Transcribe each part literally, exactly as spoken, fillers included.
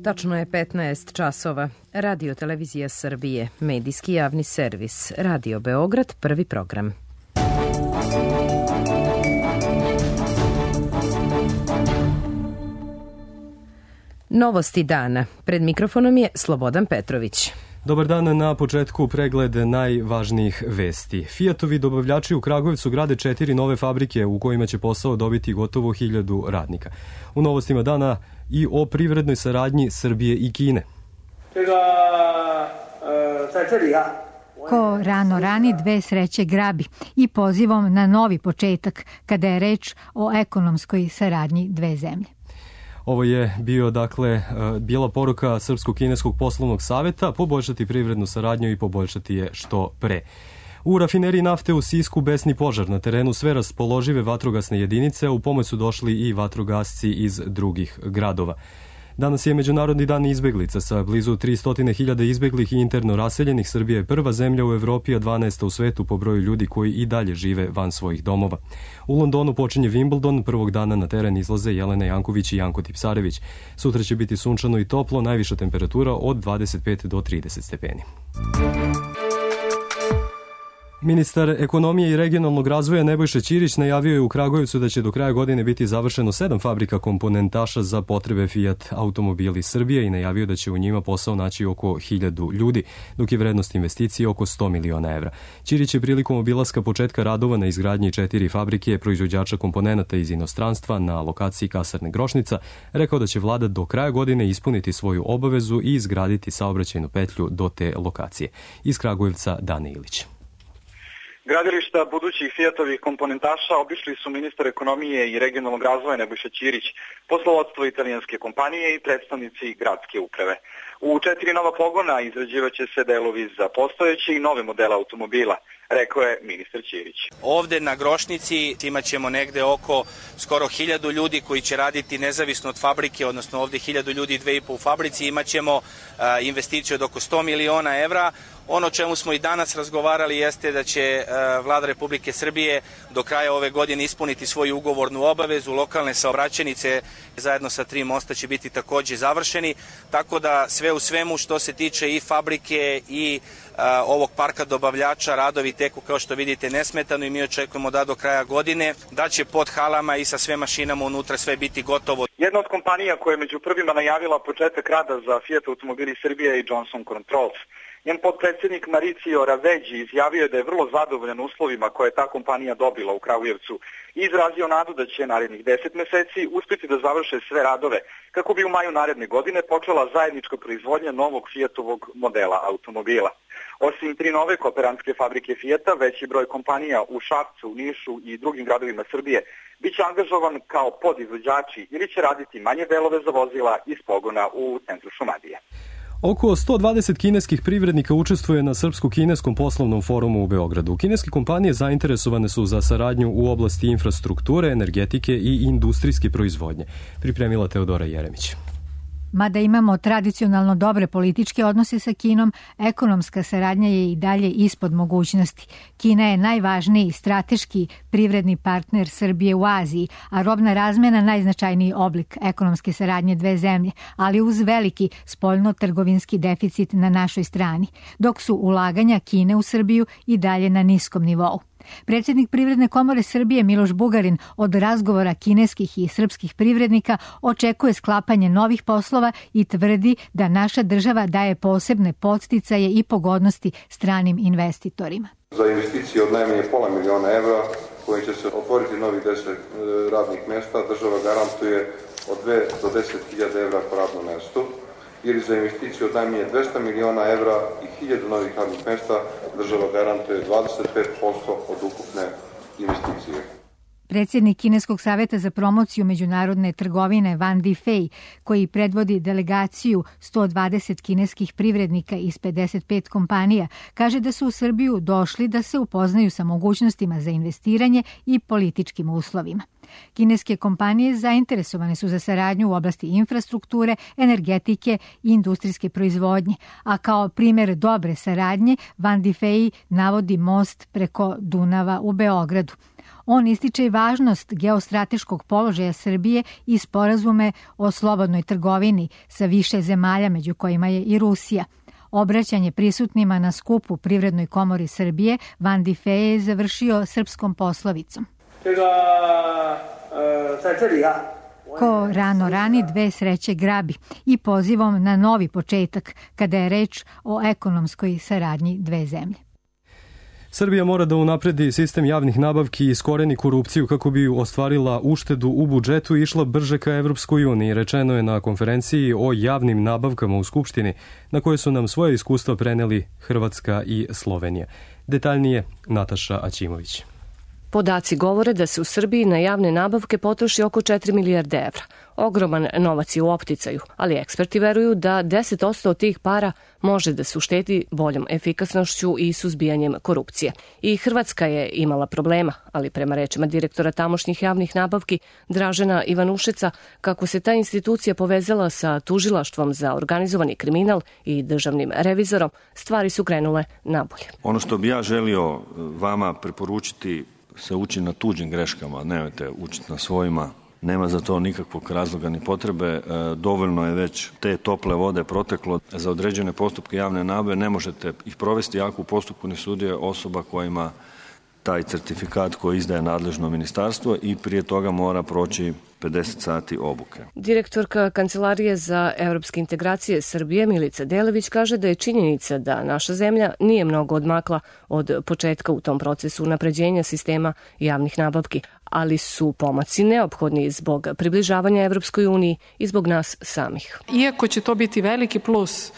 Tačno je petnaest časova. Radio Televizija Srbije, medijski javni servis, Radio Beograd, prvi program. Novosti dana. Pred mikrofonom je Slobodan Petrović. Dobar dan, na početku pregled najvažnijih vesti. Fijatovi dobavljači u Kragujevcu grade četiri nove fabrike u kojima će posao dobiti gotovo hiljadu radnika. U novostima dana i o privrednoj saradnji Srbije i Kine. Ko rano rani, dve sreće grabi i pozivom na novi početak kada je reč o ekonomskoj saradnji dve zemlje. Ovo je bio, dakle, bila poruka Srpsko-kineskog poslovnog saveta, poboljšati privrednu saradnju i poboljšati je što pre. U rafineriji nafte u Sisku besni požar, na terenu sve raspoložive vatrogasne jedinice, u pomoć su došli i vatrogasci iz drugih gradova. Danas je Međunarodni dan izbeglica. Sa blizu tristo hiljada izbeglih i interno raseljenih, Srbija je prva zemlja u Evropi, a dvanaesta u svetu po broju ljudi koji i dalje žive van svojih domova. U Londonu počinje Wimbledon, prvog dana na teren izlaze Jelena Janković i Janko Tipsarević. Sutra će biti sunčano i toplo, najviša temperatura od dvadeset pet do trideset stepeni. Ministar ekonomije i regionalnog razvoja Nebojša Ćirić najavio je u Kragujevcu da će do kraja godine biti završeno sedam fabrika komponentaša za potrebe Fiat automobili Srbije i najavio da će u njima posao naći oko hiljadu ljudi, dok je vrednost investicije oko sto miliona evra. Ćirić je prilikom obilaska početka radova na izgradnji četiri fabrike proizvođača komponenata iz inostranstva na lokaciji kasarne Grošnica rekao da će vlada do kraja godine ispuniti svoju obavezu i izgraditi saobraćajnu petlju do te lokacije. Iz Kragujevca Dane Ilić. Gradilišta budućih Fiatovih komponentaša obišli su ministar ekonomije i regionalnog razvoja Nebojša Ćirić, poslovodstvo italijanske kompanije i predstavnici gradske uprave. U četiri nova pogona izrađivaće se delovi za postojeće i nove modele automobila, rekao je ministar Ćirić. Ovde na Grošnici imat ćemo negde oko skoro hiljadu ljudi koji će raditi nezavisno od fabrike, odnosno ovde hiljadu ljudi, dve i po u fabrici, imat ćemo investiciju od oko sto miliona evra. Ono o čemu smo i danas razgovarali jeste da će vlada Republike Srbije do kraja ove godine ispuniti svoju ugovornu obavezu. Lokalne saobraćajnice zajedno sa tri mosta će biti takođe završeni, tako da sve u svemu što se tiče i fabrike i a, ovog parka dobavljača radovi teku kao što vidite nesmetano i mi očekujemo da do kraja godine da će pod halama i sa sve mašinama unutra sve biti gotovo. Jedna od kompanija koja je među prvima najavila početak rada za Fiat automobili Srbije je Johnson Controls. Njen potpredsjednik Maricio Raveđi izjavio je da je vrlo zadovoljan uslovima koje je ta kompanija dobila u Kragujevcu i izrazio nadu da će narednih deset meseci uspjeti da završe sve radove kako bi u maju naredne godine počela zajednička proizvodnja novog Fiatovog modela automobila. Osim tri nove kooperantske fabrike Fiata, veći broj kompanija u Šapcu, Nišu i drugim gradovima Srbije biće angažovan kao podizvođači ili će raditi manje delove za vozila iz pogona u centru Šumadije. Oko sto dvadeset kineskih privrednika učestvuje na Srpsko-kineskom poslovnom forumu u Beogradu. Kineske kompanije zainteresovane su za saradnju u oblasti infrastrukture, energetike i industrijske proizvodnje. Pripremila Teodora Jeremić. Mada imamo tradicionalno dobre političke odnose sa Kinom, ekonomska saradnja je i dalje ispod mogućnosti. Kina je najvažniji strateški privredni partner Srbije u Aziji, a robna razmena najznačajniji oblik ekonomske saradnje dve zemlje, ali uz veliki spoljno-trgovinski deficit na našoj strani, dok su ulaganja Kine u Srbiju i dalje na niskom nivou. Predsjednik Privredne komore Srbije Miloš Bugarin od razgovora kineskih i srpskih privrednika očekuje sklapanje novih poslova i tvrdi da naša država daje posebne podsticaje i pogodnosti stranim investitorima. Za investicije od najmanje pola miliona evra koji će se otvoriti novih deset radnih mjesta, država garantuje od dve do deset hiljada evra po radnom mjestu, ili za investiciju od najmanje dvesta miliona evra i hiljadu novih radnih mjesta država garantuje dvadeset pet posto od ukupne investicije. Predsjednik Kineskog saveta za promociju međunarodne trgovine Van Difei, koji predvodi delegaciju sto dvadeset kineskih privrednika iz pedeset pet kompanija, kaže da su u Srbiju došli da se upoznaju sa mogućnostima za investiranje i političkim uslovima. Kineske kompanije zainteresovane su za saradnju u oblasti infrastrukture, energetike i industrijske proizvodnje, a kao primjer dobre saradnje Van Difei navodi most preko Dunava u Beogradu. On ističe i važnost geostrateškog položaja Srbije i sporazume o slobodnoj trgovini sa više zemalja, među kojima je i Rusija. Obraćanje prisutnima na skupu Privrednoj komori Srbije Van Di Fe je završio srpskom poslovicom. Ko rano rani, dve sreće grabi, i pozivom na novi početak kada je reč o ekonomskoj saradnji dve zemlje. Srbija mora da unapredi sistem javnih nabavki i iskoreni korupciju kako bi ostvarila uštedu u budžetu i išla brže ka Evropskoj uniji, rečeno je na konferenciji o javnim nabavkama u Skupštini, na kojoj su nam svoje iskustva preneli Hrvatska i Slovenija. Detaljnije Nataša Aćimović. Podaci govore da se u Srbiji na javne nabavke potroši oko četiri milijarde evra. Ogroman novac je u opticaju, ali eksperti veruju da deset posto od tih para može da se uštedi boljom efikasnošću i suzbijanjem korupcije. I Hrvatska je imala problema, ali prema rečima direktora tamošnjih javnih nabavki Dražena Ivanušeca, kako se ta institucija povezala sa tužilaštvom za organizovani kriminal i državnim revizorom, stvari su krenule nabolje. Ono što bi ja želio vama preporučiti, se uči na tuđim greškama, nemojte učiti na svojima. Nema za to nikakvog razloga ni potrebe. Dovoljno je već te tople vode proteklo. Za određene postupke javne nabave ne možete ih provesti ako u postupku ne sudjeluje osoba koja ima taj certifikat koji izdaje nadležno ministarstvo i prije toga mora proći pedeset sati obuke. Direktorka Kancelarije za evropske integracije Srbije Milica Delević kaže da je činjenica da naša zemlja nije mnogo odmakla od početka u tom procesu unapređenja sistema javnih nabavki, ali su pomaci neophodni zbog približavanja Evropskoj uniji i zbog nas samih. Iako će to biti veliki plus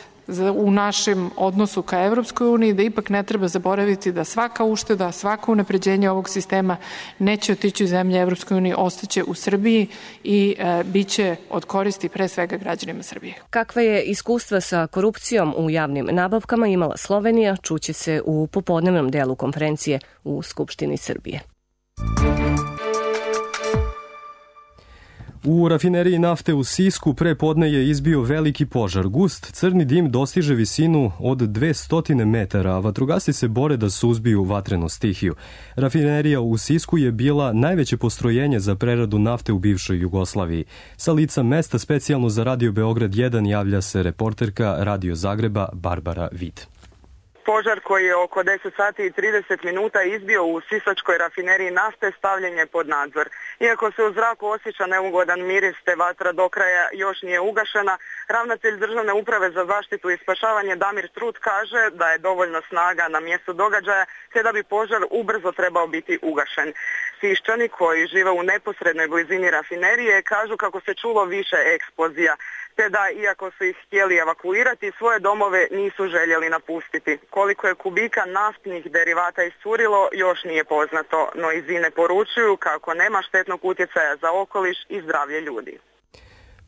u našem odnosu ka Evropskoj uniji, da ipak ne treba zaboraviti da svaka ušteda, svako unapređenje ovog sistema neće otići u zemlje Evropskoj uniji, ostaće u Srbiji i e, bit će od koristi pre svega građanima Srbije. Kakva je iskustva sa korupcijom u javnim nabavkama imala Slovenija, čuće se u popodnevnom delu konferencije u Skupštini Srbije. U rafineriji nafte u Sisku pre podne je izbio veliki požar. Gust crni dim dostiže visinu od dvesta metara, a vatrogasci se bore da suzbiju vatrenu stihiju. Rafinerija u Sisku je bila najveće postrojenje za preradu nafte u bivšoj Jugoslaviji. Sa lica mesta specijalno za Radio Beograd jedan javlja se reporterka Radio Zagreba Barbara Vid. Požar koji je oko deset sati i trideset minuta izbio u sisačkoj rafineriji nafte stavljen je pod nadzor. Iako se u zraku osjeća neugodan miris te vatra do kraja još nije ugašena, ravnatelj Državne uprave za zaštitu i spašavanje Damir Trut kaže da je dovoljno snaga na mjestu događaja te da bi požar ubrzo trebao biti ugašen. Siščani koji žive u neposrednoj blizini rafinerije kažu kako se čulo više eksplozija, te da iako su ih htjeli evakuirati, svoje domove nisu željeli napustiti. Koliko je kubika naftnih derivata iscurilo još nije poznato, no iz INE poručuju kako nema štetnog utjecaja za okoliš i zdravlje ljudi.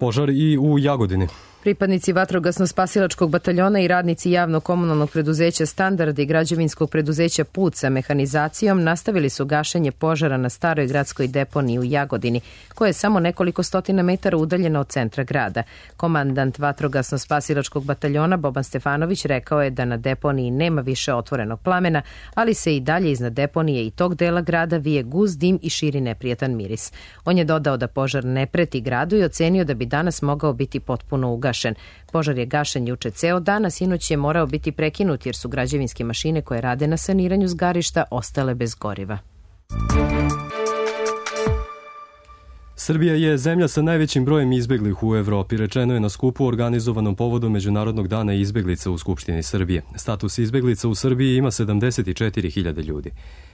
Požar i u Jagodini. Pripadnici vatrogasno-spasilačkog bataljona i radnici javno-komunalnog preduzeća Standard i građevinskog preduzeća Put sa mehanizacijom nastavili su gašenje požara na staroj gradskoj deponiji u Jagodini, koja je samo nekoliko stotina metara udaljena od centra grada. Komandant vatrogasno-spasilačkog bataljona Boban Stefanović rekao je da na deponiji nema više otvorenog plamena, ali se i dalje iznad deponije i tog dela grada vije gust dim i širi neprijatan miris. On je dodao da požar ne preti gradu i ocenio da bi danas mogao biti potpuno ugašen. Požar je gašen juče ceo dan, a sinoć je morao biti prekinut jer su građevinske mašine koje rade na saniranju zgarišta ostale bez goriva. Srbija je zemlja sa najvećim brojem izbeglih u Evropi, rečeno je na skupu organizovanom povodom Međunarodnog dana izbeglica u Skupštini Srbije. Status izbeglica u Srbiji ima sedamdeset četiri hiljade ljudi.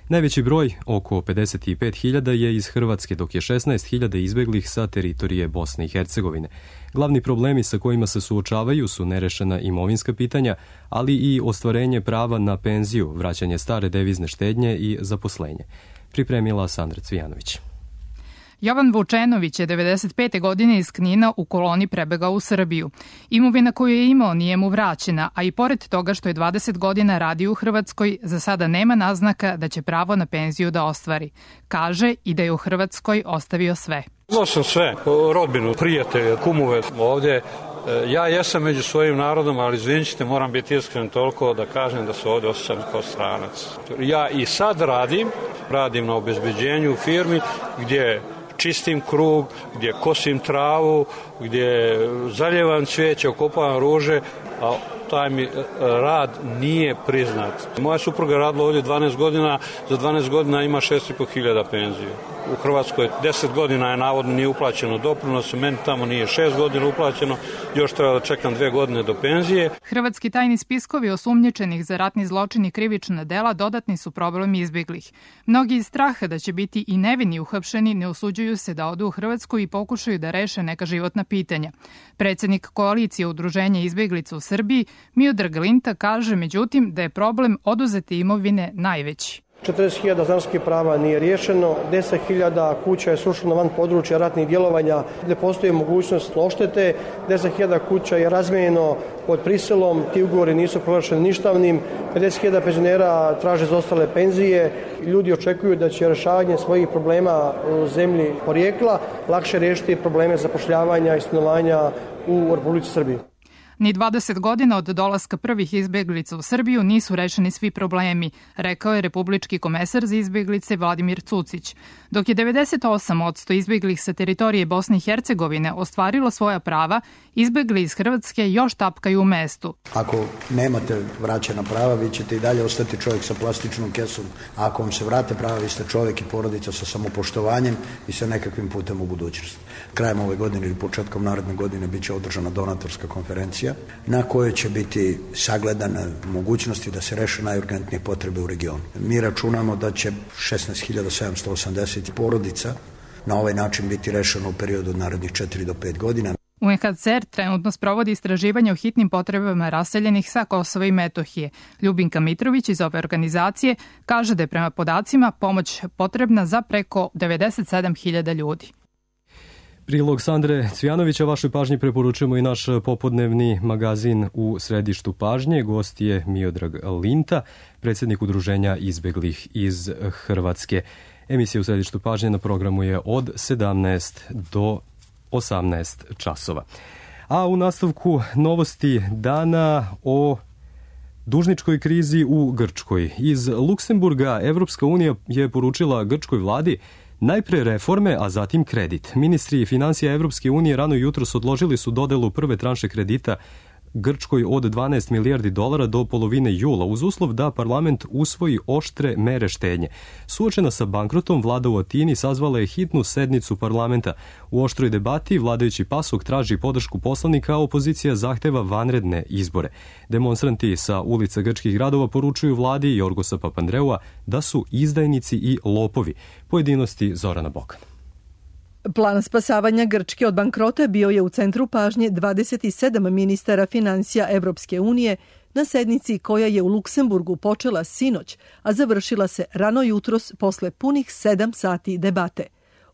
Najveći broj, oko pedeset pet hiljada, je iz Hrvatske, dok je šesnaest hiljada izbeglih sa teritorije Bosne i Hercegovine. Glavni problemi sa kojima se suočavaju su nerešena imovinska pitanja, ali i ostvarenje prava na penziju, vraćanje stare devizne štednje i zaposlenje. Pripremila Sandra Cvijanović. Jovan Vučenović je devedeset pete godine iz Knina u koloni prebegao u Srbiju. Imovina koju je imao nije mu vraćena, a i pored toga što je dvadeset godina radio u Hrvatskoj, za sada nema naznaka da će pravo na penziju da ostvari. Kaže i da je u Hrvatskoj ostavio sve. Imao sam sve, rodbinu, prijatelje, kumove ovde, Ja jesam među svojim narodom, ali izvinite, moram biti iskren toliko da kažem da se ovdje osjećam kao stranac. Ja i sad radim, radim na obezbeđenju u firmi gdje čistim krug, gdje kosim travu, gdje zaljevam cvijeće, okopavam ruže, a taj mi rad nije priznat. Moja supruga radila ovdje dvanaest godina, za dvanaest godina ima šest i po hiljada penziju. U Hrvatskoj deset godina je navodno nije uplaćeno doprinos, meni tamo nije šest godina uplaćeno, još treba da čekam dve godine do penzije. Hrvatski tajni spiskovi osumnjičenih za ratni zločin i krivična dela dodatni su problem izbjeglih. Mnogi iz straha da će biti i nevini uhapšeni ne usuđuju se da odu u Hrvatsku i pokušaju da reše neka životna pitanja. Predsjednik koalicije Udruženja izbjeglica u Srbiji, Miodrag Linta, kaže međutim da je problem oduzete imovine najveći. četrdeset hiljada stanarskih prava nije riješeno, deset hiljada kuća je srušeno van područja ratnih djelovanja gdje postoji mogućnost odštete, deset hiljada kuća je razmijenjeno pod prisilom, ti ugovori nisu proglašeni ništavnim, pedeset hiljada penzionera traže zaostale penzije, ljudi očekuju da će rješavanje svojih problema u zemlji porijekla lakše riješiti probleme zapošljavanja i stanovanja u Republici Srbiji. Ni dvadeset godina od dolaska prvih izbjeglica u Srbiju nisu rešeni svi problemi, rekao je republički komesar za izbjeglice Vladimir Cucić. Dok je devedeset osam posto izbjeglih sa teritorije Bosne i Hercegovine ostvarilo svoja prava, izbjegli iz Hrvatske još tapkaju u mestu. Ako nemate vraćena prava, vi ćete i dalje ostati čovjek sa plastičnom kesom. A ako vam se vrate prava, vi ste čovjek i porodica sa samopoštovanjem i sa nekakvim putem u budućnost. Krajem ove godine ili početkom naredne godine bit će održana donatorska konferencija na kojoj će biti sagledane mogućnosti da se reše najurgentnije potrebe u regionu. Mi računamo da će šesnaest hiljada sedamsto osamdeset porodica na ovaj način biti rešeno u periodu od narednih četiri do pet godina. U en ha ce er trenutno sprovodi istraživanje o hitnim potrebama raseljenih sa Kosova i Metohije. Ljubinka Mitrović iz ove organizacije kaže da je prema podacima pomoć potrebna za preko devedeset sedam hiljada ljudi. Prilog Sandre Cvijanovića vašoj pažnji preporučujemo i naš popodnevni magazin U središtu pažnje. Gost je Miodrag Linta, predsjednik Udruženja izbjeglih iz Hrvatske. Emisija U središtu pažnje na programu je od sedamnaest do osamnaest časova. A u nastavku novosti dana o dužničkoj krizi u Grčkoj. Iz Luksemburga Evropska unija je poručila grčkoj vladi najpre reforme, a zatim kredit. Ministri financija Evropske unije rano jutros odložili su dodelu prve tranše kredita Grčkoj od dvanaest milijardi dolara do polovine jula, uz uslov da parlament usvoji oštre mere štednje. Suočena sa bankrotom, vlada u Atini sazvala je hitnu sednicu parlamenta. U oštroj debati vladajući PASOK traži podršku poslanika, a opozicija zahteva vanredne izbore. Demonstranti sa ulica grčkih gradova poručuju vladi Jorgosa Papandreua da su izdajnici i lopovi. Pojedinosti Zorana Bokan. Plan spasavanja Grčke od bankrota bio je u centru pažnje dvadeset sedam ministara financija Evropske unije na sednici koja je u Luksemburgu počela sinoć, a završila se rano jutros posle punih sedam sati debate.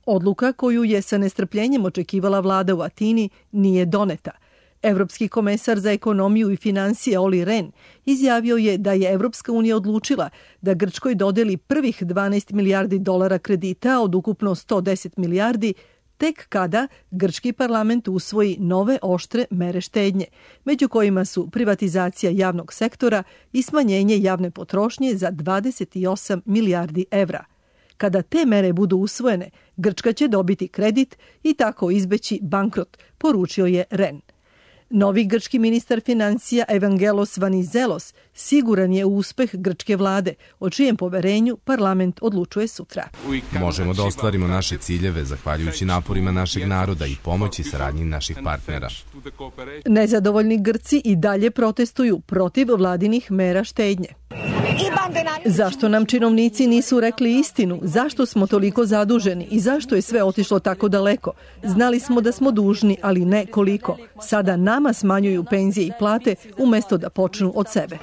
Odluka koju je sa nestrpljenjem očekivala vlada u Atini nije doneta. Evropski komesar za ekonomiju i financije Olli Rehn izjavio je da je Evropska unija odlučila da Grčkoj dodeli prvih dvanaest milijardi dolara kredita od ukupno sto deset milijardi tek kada grčki parlament usvoji nove oštre mere štednje, među kojima su privatizacija javnog sektora i smanjenje javne potrošnje za dvadeset osam milijardi evra. Kada te mere budu usvojene, Grčka će dobiti kredit i tako izbeći bankrot, poručio je Rehn. Novi grčki ministar financija Evangelos Vanizelos siguran je u uspeh grčke vlade, o čijem poverenju parlament odlučuje sutra. Možemo da ostvarimo naše ciljeve zahvaljujući naporima našeg naroda i pomoći saradnji naših partnera. Nezadovoljni Grci i dalje protestuju protiv vladinih mera štednje. Zašto nam činovnici nisu rekli istinu? Zašto smo toliko zaduženi i zašto je sve otišlo tako daleko? Znali smo da smo dužni, ali ne koliko. Sada nama smanjuju penzije i plate umjesto da počnu od sebe.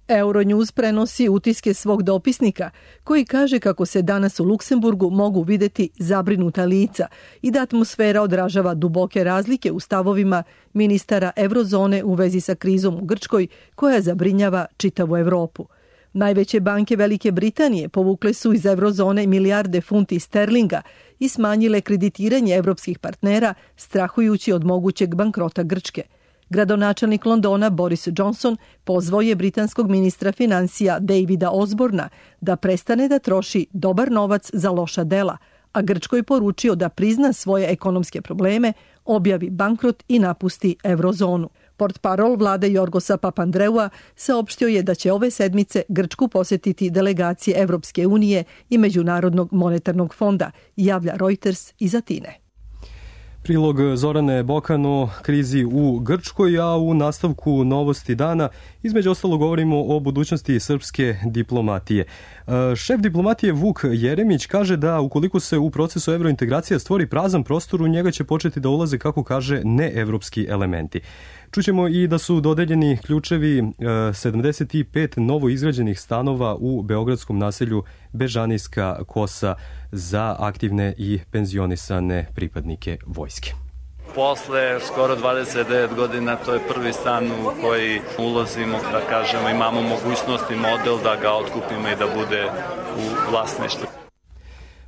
Euronews prenosi utiske svog dopisnika koji kaže kako se danas u Luksemburgu mogu vidjeti zabrinuta lica i da atmosfera odražava duboke razlike u stavovima ministara eurozone u vezi sa krizom u Grčkoj koja zabrinjava čitavu Evropu. Najveće banke Velike Britanije povukle su iz eurozone milijarde funti sterlinga i smanjile kreditiranje evropskih partnera strahujući od mogućeg bankrota Grčke. Gradonačelnik Londona Boris Johnson pozvao je britanskog ministra financija Davida Osborna da prestane da troši dobar novac za loša dela, a Grčkoj poručio da prizna svoje ekonomske probleme, objavi bankrot i napusti eurozonu. Portparol vlade Jorgosa Papandreua saopštio je da će ove sedmice Grčku posetiti delegacije Evropske unije i Međunarodnog monetarnog fonda, javlja Reuters iz Atine. Prilog Zorane Bokan o krizi u Grčkoj, a u nastavku novosti dana između ostalo govorimo o budućnosti srpske diplomatije. Šef diplomatije Vuk Jeremić kaže da ukoliko se u procesu evrointegracija stvori prazan prostor, u njega će početi da ulaze, kako kaže, neevropski elementi. Čućemo i da su dodeljeni ključevi sedamdeset pet novo izgrađenih stanova u beogradskom naselju Bežanijska Kosa za aktivne i penzionisane pripadnike vojske. Posle skoro dvadeset devet godina to je prvi stan u koji ulazimo, da kažemo, imamo mogućnost i model da ga otkupimo i da bude u vlasništvu.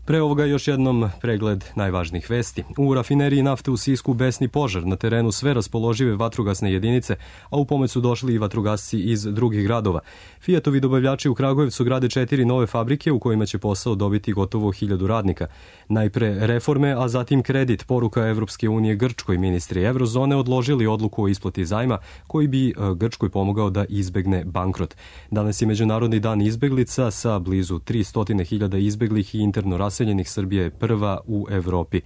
Pre ovoga još jednom pregled najvažnijih vesti. U rafineriji nafte u Sisku besni požar, na terenu sve raspoložive vatrogasne jedinice, a u pomoć su došli i vatrogasci iz drugih gradova. Fijatovi dobavljači u Kragujevcu grade četiri nove fabrike u kojima će posao dobiti gotovo hiljadu radnika. Najpre reforme, a zatim kredit, poruka Evropske unije Grčkoj. Ministri Evrozone odložili odluku o isplati zajma koji bi Grčkoj pomogao da izbegne bankrot. Danas je Međunarodni dan izbeglica sa blizu tristo hiljada izbeglih i interno raseljenih. Srbija je prva u Evropi.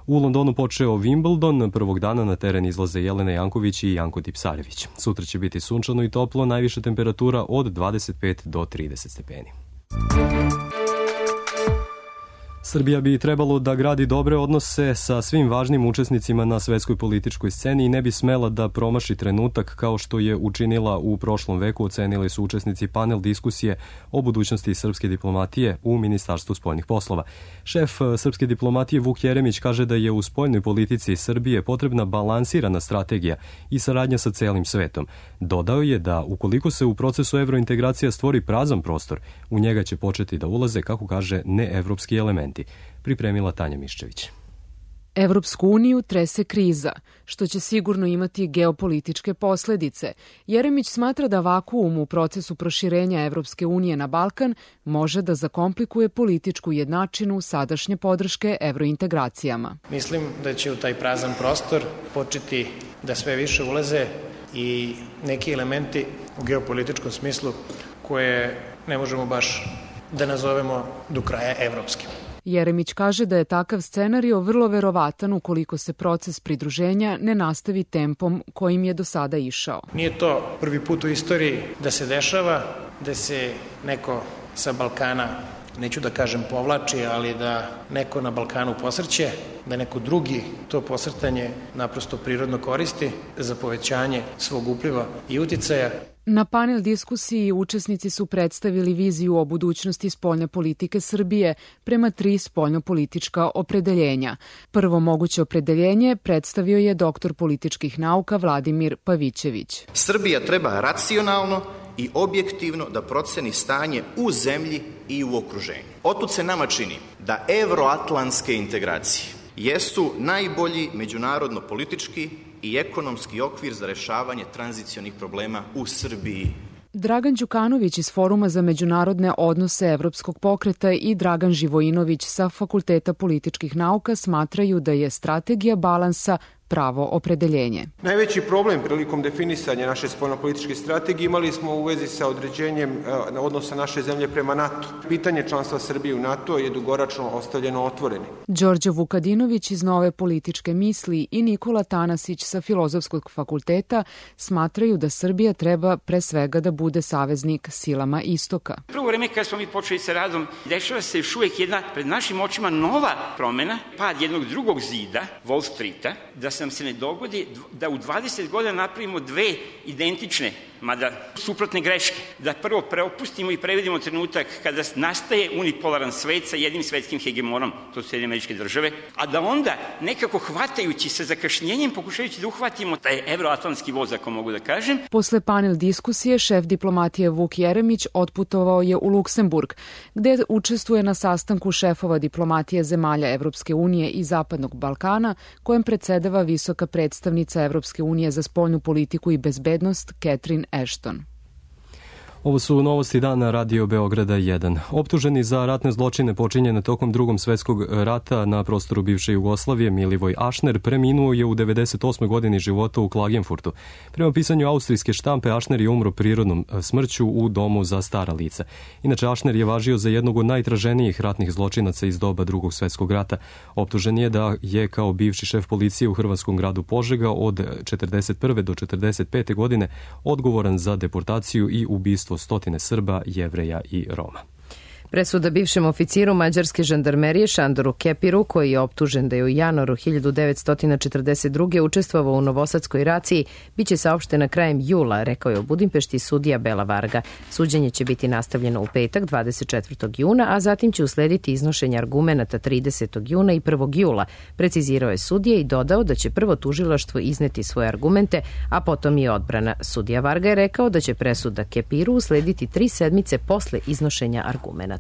U Londonu počeo Wimbledon, prvog dana na teren izlaze Jelena Janković i Janko Tipsarević. Sutra će biti sunčano i toplo, najviša temperatura od dvadeset pet do trideset stepeni. Srbija bi trebalo da gradi dobre odnose sa svim važnim učesnicima na svetskoj političkoj sceni i ne bi smela da promaši trenutak kao što je učinila u prošlom veku, ocenili su učesnici panel diskusije o budućnosti srpske diplomatije u Ministarstvu spoljnih poslova. Šef srpske diplomatije Vuk Jeremić kaže da je u spoljnoj politici Srbije potrebna balansirana strategija i saradnja sa celim svetom. Dodao je da ukoliko se u procesu evrointegracija stvori prazan prostor, u njega će početi da ulaze, kako kaže, neevropski elementi. Pripremila Tanja Miščević. Evropsku uniju trese kriza, što će sigurno imati geopolitičke posledice. Jeremić smatra da vakuum u procesu proširenja Evropske unije na Balkan može da zakomplikuje političku jednačinu sadašnje podrške evrointegracijama. Mislim da će u taj prazan prostor početi da sve više ulaze i neki elementi u geopolitičkom smislu koje ne možemo baš da nazovemo do kraja evropskim. Jeremić kaže da je takav scenario vrlo verovatan ukoliko se proces pridruženja ne nastavi tempom kojim je do sada išao. Nije to prvi put u istoriji da se dešava, da se neko sa Balkana, neću da kažem povlači, ali da neko na Balkanu posrće, da neko drugi to posrtanje naprosto prirodno koristi za povećanje svog upliva i uticaja. Na panel diskusiji učesnici su predstavili viziju o budućnosti spoljne politike Srbije prema tri spoljnopolitička opredeljenja. Prvo moguće opredeljenje predstavio je doktor političkih nauka Vladimir Pavićević. Srbija treba racionalno i objektivno da proceni stanje u zemlji i u okruženju. Otud se nama čini da evroatlantske integracije jesu najbolji međunarodno-politički i ekonomski okvir za rešavanje tranzicionih problema u Srbiji. Dragan Đukanović iz Foruma za međunarodne odnose Evropskog pokreta i Dragan Živojinović sa Fakulteta političkih nauka smatraju da je strategija balansa pravo opredeljenje. Najveći problem prilikom definisanja naše spoljnopolitičke strategije imali smo u vezi sa određenjem odnosa naše zemlje prema NATO. Pitanje članstva Srbije u NATO je dugoročno ostavljeno otvoreni. Đorđe Vukadinović iz Nove političke misli i Nikola Tanasić sa Filozofskog fakulteta smatraju da Srbija treba pre svega da bude saveznik silama istoka. Prvo vreme kada smo mi počeli sa radom, dešava se još uvijek jedna pred našim očima nova promena, pad jednog drugog zida, Wall Streeta, da nam se ne dogodi da u dvadeset godina napravimo dve identične mada suprotne greške, da prvo preopustimo i prevedimo trenutak kada nastaje unipolaran svet sa jednim svetskim hegemonom, to su Sjedinjene Američke Države, a da onda nekako hvatajući sa zakašnjenjem, pokušajući da uhvatimo taj evroatlantski voz, ako mogu da kažem. Posle panel diskusije, šef diplomatije Vuk Jeremić otputovao je u Luksemburg, gde učestvuje na sastanku šefova diplomatije zemalja Evropske unije i Zapadnog Balkana, kojem predsedava visoka predstavnica Evropske unije za spoljnu politiku i bezbednost Catherine Ashton. Ovo su novosti dana Radio Beograda jedan. Optuženi za ratne zločine počinjene tokom Drugom svetskog rata na prostoru bivše Jugoslavije, Milivoj Ašner preminuo je u devedeset osmoj godini života u Klagenfurtu. Prema pisanju austrijske štampe, Ašner je umro prirodnom smrću u domu za stara lica. Inače, Ašner je važio za jednog od najtraženijih ratnih zločinaca iz doba Drugog svetskog rata. Optužen je da je kao bivši šef policije u hrvatskom gradu Požega od četrdeset prve do četrdeset pete godine odgovoran za deportaciju i ubistvo stotine Srba, Jevreja i Roma. Presuda bivšem oficiru mađarske žandarmerije Šandoru Kepiru, koji je optužen da je u januaru hiljadu devetsto četrdeset druge učestvovao u novosadskoj raciji, biće saopštena krajem jula, rekao je u Budimpešti sudija Bela Varga. Suđenje će biti nastavljeno u petak, dvadeset četvrtog juna, a zatim će uslediti iznošenje argumenata tridesetog juna i prvog jula. Precizirao je sudija i dodao da će prvo tužilaštvo izneti svoje argumente, a potom i odbrana. Sudija Varga je rekao da će presuda Kepiru uslediti tri sedmice posle iznošenja argumenata.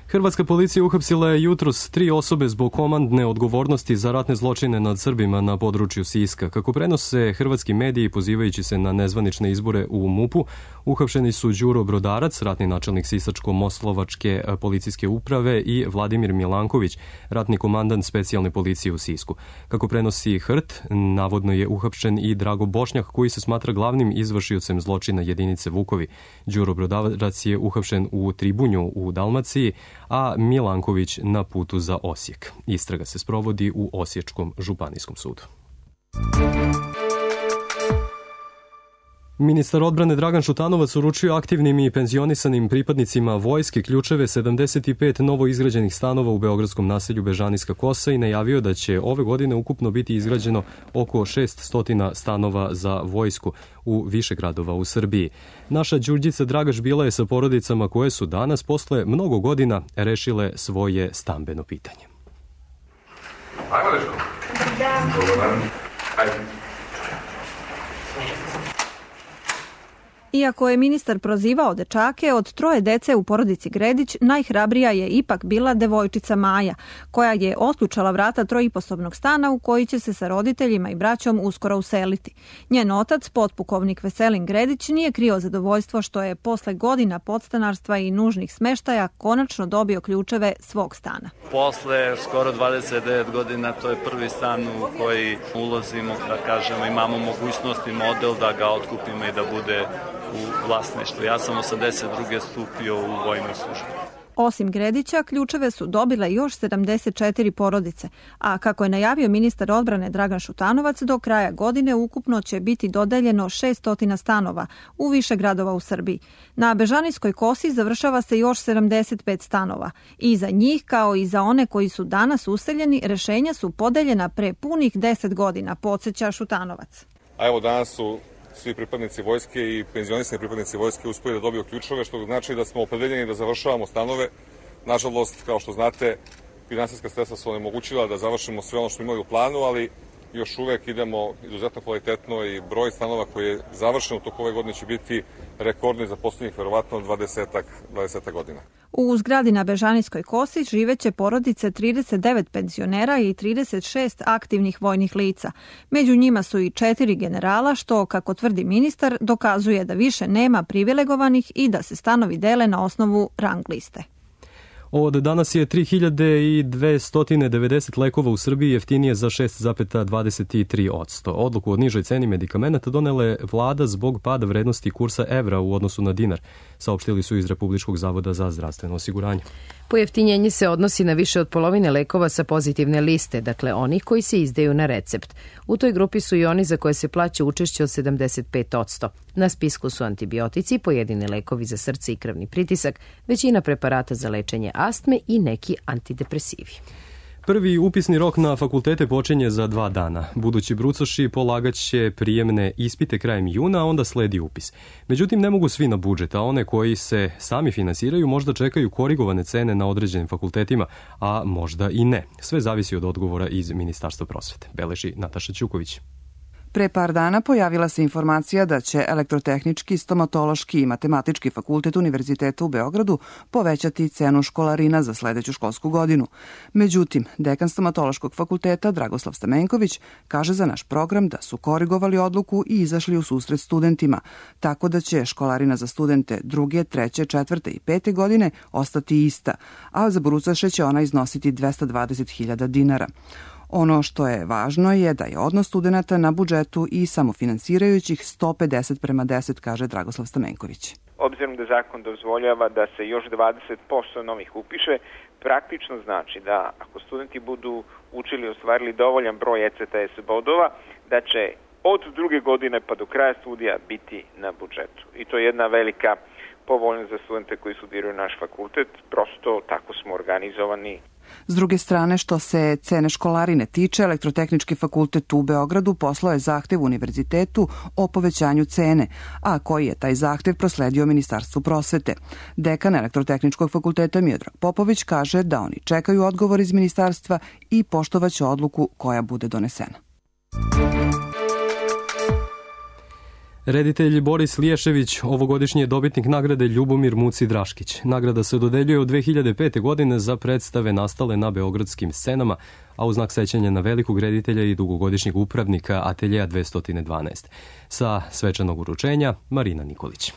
Hrvatska policija uhapsila je jutros tri osobe zbog komandne odgovornosti za ratne zločine nad Srbima na području Siska. Kako prenose hrvatski mediji pozivajući se na nezvanične izbore u MUP-u, uhapšeni su Đuro Brodarac, ratni načelnik Sisačko-Moslovačke policijske uprave, i Vladimir Milanković, ratni komandant specijalne policije u Sisku. Kako prenosi H R T, navodno je uhapšen i Drago Bošnjak, koji se smatra glavnim izvršiocem zločina jedinice Vukovi. Đuro Brodarac je uhapšen u Tribunju u Dalmaciji, a Milanković na putu za Osijek. Istraga se sprovodi u Osječkom županijskom sudu. Ministar odbrane Dragan Šutanovac uručio aktivnim i penzionisanim pripadnicima vojske ključeve sedamdeset pet novo izgrađenih stanova u beogradskom naselju Bežanijska Kosa i najavio da će ove godine ukupno biti izgrađeno oko šesnaest stanova za vojsku u više gradova u Srbiji. Naša Đurđica Dragaš bila je sa porodicama koje su danas posle mnogo godina rešile svoje stambeno pitanje. Ajmo, Dečko. Da. Dobar. Ajde. Iako je ministar prozivao dečake, od troje dece u porodici Gredić najhrabrija je ipak bila devojčica Maja, koja je otključala vrata trojiposobnog stana u koji će se sa roditeljima i braćom uskoro useliti. Njen otac, potpukovnik Veselin Gredić, nije krio zadovoljstvo što je posle godina podstanarstva i nužnih smeštaja konačno dobio ključeve svog stana. Posle skoro dvadeset devet godina to je prvi stan u koji ulazimo, da kažemo, imamo mogućnost i model da ga otkupimo i da bude u vlasništvu. Ja sam osamdeset druge stupio u vojnu službu. Osim Gredića, ključeve su dobile još sedamdeset četiri porodice, a kako je najavio ministar odbrane Dragan Šutanovac, do kraja godine ukupno će biti dodeljeno šesnaest stanova u više gradova u Srbiji. Na Bežanijskoj Kosi završava se još sedamdeset pet stanova i za njih, kao i za one koji su danas useljeni, rešenja su podeljena pre punih deset godina, podsjeća Šutanovac. A evo danas su svi pripadnici vojske i penzionisani pripadnici vojske uspeli da dobiju ključeve, što znači da smo opredeljeni da završavamo stanove. Nažalost, kao što znate, finansijska sredstva su onemogućila da završimo sve ono što imali u planu, ali još uvek idemo izuzetno kvalitetno i broj stanova koji je završen u toku ove godine će biti rekordni za poslednjih verovatno dvadeset godina. U zgradi na Bežanijskoj Kosi živeće porodice trideset devet penzionera i trideset šest aktivnih vojnih lica. Među njima su i četiri generala, što, kako tvrdi ministar, dokazuje da više nema privilegovanih i da se stanovi dele na osnovu rang liste. Od danas je tri hiljade dvesta devedeset lekova u Srbiji jeftinije za šest zarez dvadeset tri posto. Odluku o nižoj ceni medikamenata donela je vlada zbog pada vrednosti kursa evra u odnosu na dinar, saopštili su iz Republičkog zavoda za zdravstveno osiguranje. Pojeftinjenje se odnosi na više od polovine lekova sa pozitivne liste, dakle onih koji se izdaju na recept. U toj grupi su i oni za koje se plaća učešće od sedamdeset pet posto. Na spisku su antibiotici, pojedini lekovi za srce i krvni pritisak, većina preparata za lečenje astme i neki antidepresivi. Prvi upisni rok na fakultete počinje za dva dana. Budući brucoši polagat će prijemne ispite krajem juna, a onda sledi upis. Međutim, ne mogu svi na budžet, a one koji se sami finansiraju možda čekaju korigovane cene na određenim fakultetima, a možda i ne. Sve zavisi od odgovora iz Ministarstva prosvete. Beleži Nataša Ćuković. Pre par dana pojavila se informacija da će Elektrotehnički, Stomatološki i Matematički fakultet Univerziteta u Beogradu povećati cenu školarina za sledeću školsku godinu. Međutim, dekan Stomatološkog fakulteta Dragoslav Stamenković kaže za naš program da su korigovali odluku i izašli u susret studentima, tako da će školarina za studente druge, treće, četvrte i pete godine ostati ista, a za brucoše će ona iznositi dvesta dvadeset hiljada dinara. Ono što je važno je da je odnos studenata na budžetu i samofinansirajućih sto pedeset prema deset, kaže Dragoslav Stamenković. Obzirom da zakon dozvoljava da se još dvadeset posto novih upiše, praktično znači da ako studenti budu učili i ostvarili dovoljan broj E C T S bodova, da će od druge godine pa do kraja studija biti na budžetu. I to je jedna velika povoljnost za studente koji studiraju naš fakultet, prosto tako smo organizovani. S druge strane, što se cene školarine tiče, Elektrotehnički fakultet u Beogradu poslao je zahtev univerzitetu o povećanju cene, a koji je taj zahtev prosledio Ministarstvu prosvete. Dekan Elektrotehničkog fakulteta Miodrag Popović kaže da oni čekaju odgovor iz ministarstva i poštovaće odluku koja bude donesena. Reditelj Boris Liješević ovogodišnji je dobitnik nagrade Ljubomir Muci Draškić. Nagrada se dodeljuje od dve hiljade pete. godine za predstave nastale na beogradskim scenama, a u znak sećanja na velikog reditelja i dugogodišnjeg upravnika Ateljeja dvesta dvanaest. Sa svečanog uručenja Marina Nikolić.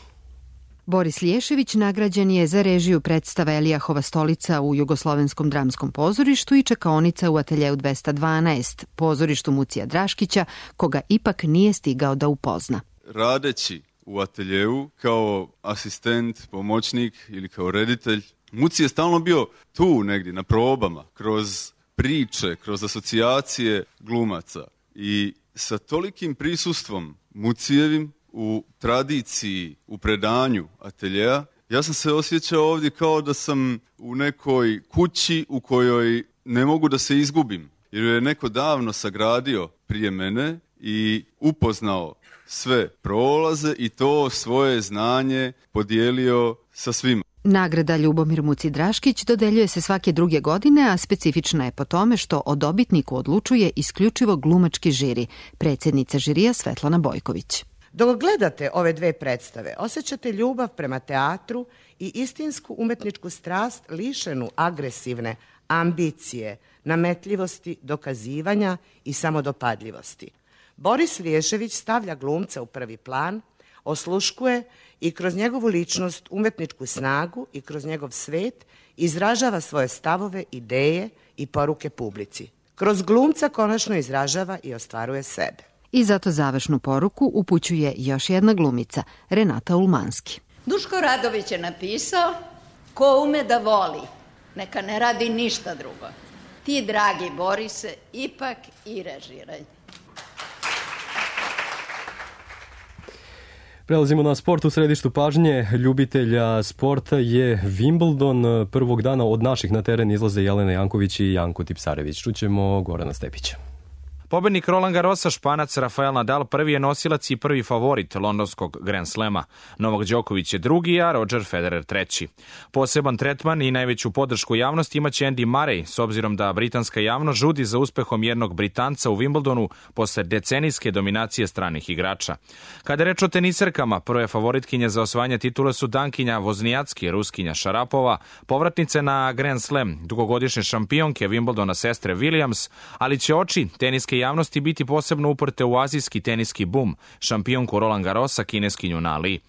Boris Liješević nagrađen je za režiju predstave Elijahova stolica u Jugoslovenskom dramskom pozorištu i čekaonica u Ateljeju dvesta dvanaest, pozorištu Mucija Draškića, koga ipak nije stigao da upozna. Radeći u ateljevu kao asistent, pomoćnik ili kao reditelj, Muci je stalno bio tu negdje na probama, kroz priče, kroz asocijacije glumaca. I sa tolikim prisustvom Mucijevim u tradiciji, u predanju ateljeja, ja sam se osjećao ovdje kao da sam u nekoj kući u kojoj ne mogu da se izgubim, jer je neko davno sagradio prije mene i upoznao sve prolaze i to svoje znanje podijelio sa svima. Nagrada Ljubomir Muci Draškić dodeljuje se svake druge godine, a specifična je po tome što o dobitniku odlučuje isključivo glumački žiri, predsjednica žirija Svetlana Bojković. Dok gledate ove dve predstave, osjećate ljubav prema teatru i istinsku umetničku strast lišenu agresivne ambicije, nametljivosti, dokazivanja i samodopadljivosti. Boris Liješević stavlja glumca u prvi plan, osluškuje i kroz njegovu ličnost, umetničku snagu i kroz njegov svet izražava svoje stavove, ideje i poruke publici. Kroz glumca konačno izražava i ostvaruje sebe. I zato završnu poruku upućuje još jedna glumica, Renata Ulmanski. Duško Radović je napisao: ko ume da voli, neka ne radi ništa drugo. Ti, dragi Borise, ipak i režiraj. Prelazimo na sport. U središtu pažnje ljubitelja sporta je Wimbledon. Prvog dana od naših na teren izlaze Jelena Janković i Janko Tipsarević. Čućemo Gorana Stepića. Pobednik Roland Garrosa, Španac Rafael Nadal, prvi je nosilac i prvi favorit londonskog Grand Slema. Novak Đoković je drugi, a Roger Federer treći. Poseban tretman i najveću podršku javnosti imaće Andy Murray, s obzirom da britanska javnost žudi za uspehom jednog Britanca u Wimbledonu posle decenijske dominacije stranih igrača. Kada je reč o teniserkama, prve favoritkinje za osvajanje titule su Dankinja Voznijacki, Ruskinja Šarapova, povratnice na Grand Slam, dugogodišnje šampionke Wimbledona sestre Williams, ali će oči teniske javnosti biti posebno uprte u azijski teniski bum, šampionku Roland Garrosa, kineskinju Na Li.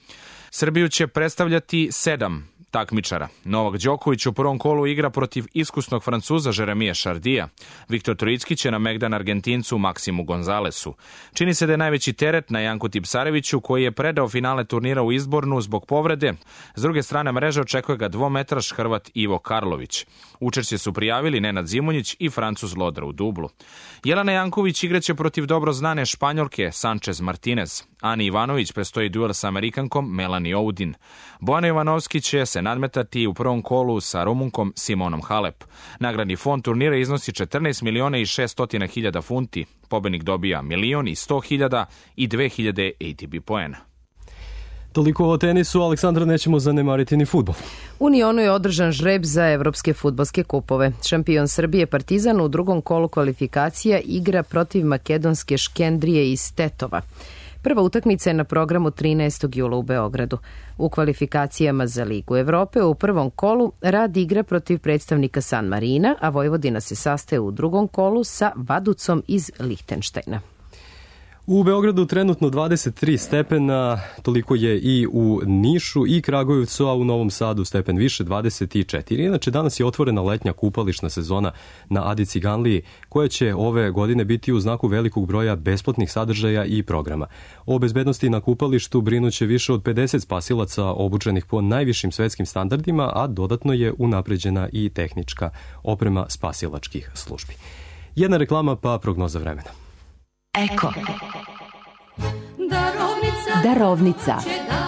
Srbiju će predstavljati sedam takmičara. Novak Đoković u prvom kolu igra protiv iskusnog Francuza Jeremija Šardija. Viktor Trojicki će na Megdan Argentincu Maksimu Gonzalesu. Čini se da je najveći teret na Janku Tipsareviću, koji je predao finale turnira u Izbornu zbog povrede. S druge strane mreže očekuje ga dvometraš Hrvat Ivo Karlović. Učešće su prijavili Nenad Zimonjić i Francuz Lodra u dublu. Jelena Janković igraće protiv dobro znane Španjolke Sanchez Martinez. Ani Ivanović prestoji duel sa Amerikankom Melanie Oudin. Bojana Jovanovski će se nadmetati u prvom kolu sa Rumunkom Simonom Halep. Nagradni fond turnira iznosi četrnaest miliona i šeststotina hiljada funti. Pobednik dobija milion i sto hiljada i dve hiljade A T P poena. Toliko o tenisu, Aleksandra, nećemo zanemariti ni fudbal. U Nionu je održan žreb za evropske fudbalske kupove. Šampion Srbije Partizan u drugom kolu kvalifikacija igra protiv makedonske Škendrije iz Tetova. Prva utakmica je na programu trinaestog jula u Beogradu. U kvalifikacijama za Ligu Evrope u prvom kolu Rad igra protiv predstavnika San Marina, a Vojvodina se sastaje u drugom kolu sa Vaducom iz Lihtenštajna. U Beogradu trenutno dvadeset tri stepena, toliko je i u Nišu i Kragujevcu, a u Novom Sadu stepen više, dvadeset četiri. Inače, danas je otvorena letnja kupališna sezona na Adi Ciganliji, koja će ove godine biti u znaku velikog broja besplatnih sadržaja i programa. O bezbednosti na kupalištu brinuće više od pedeset spasilaca obučenih po najvišim svetskim standardima, a dodatno je unapređena i tehnička oprema spasilačkih službi. Jedna reklama pa prognoza vremena. Eko. Darovnica.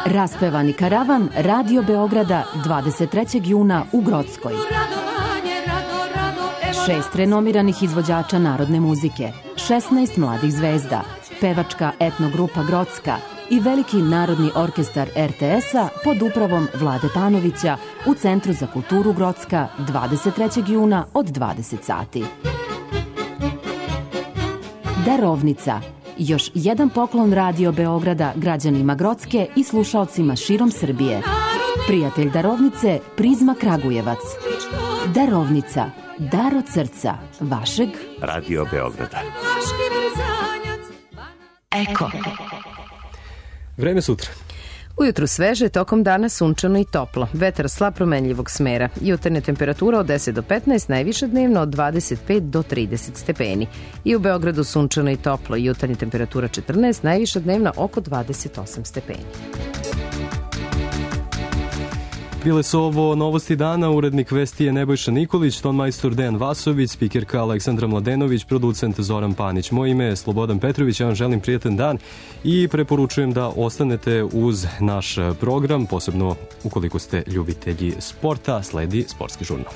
Raspevani karavan Radio Beograda dvadeset trećeg juna u Grockoj. Šest renomiranih izvođača narodne muzike, šesnaest mladih zvezda, pevačka etnogrupa Grocka i veliki narodni orkestar R T S-a pod upravom Vlade Panovića u Centru za kulturu Grocka dvadeset trećeg juna od dvadeset sati. Darovnica. Još jedan poklon Radio Beograda građanima Grocke i slušaocima širom Srbije. Prijatelj Darovnice, Prizma Kragujevac. Darovnica. Dar od srca vašeg Radio Beograda. Eko. Vreme sutra. Ujutru sveže, tokom dana sunčano i toplo. Vetar slab promenljivog smera. Jutarnja temperatura od deset do petnaest, najviša dnevno od dvadeset pet do trideset stepeni. I u Beogradu sunčano i toplo. Jutarnja temperatura četrnaest, najviša dnevna oko dvadeset osam stepeni. Bile su ovo novosti dana, urednik vesti je Nebojša Nikolić, tonmajstor Dejan Vasović, spikerka Aleksandra Mladenović, producent Zoran Panić. Moje ime je Slobodan Petrović, ja vam želim prijatan dan i preporučujem da ostanete uz naš program, posebno ukoliko ste ljubitelji sporta, sledi Sportski žurnal.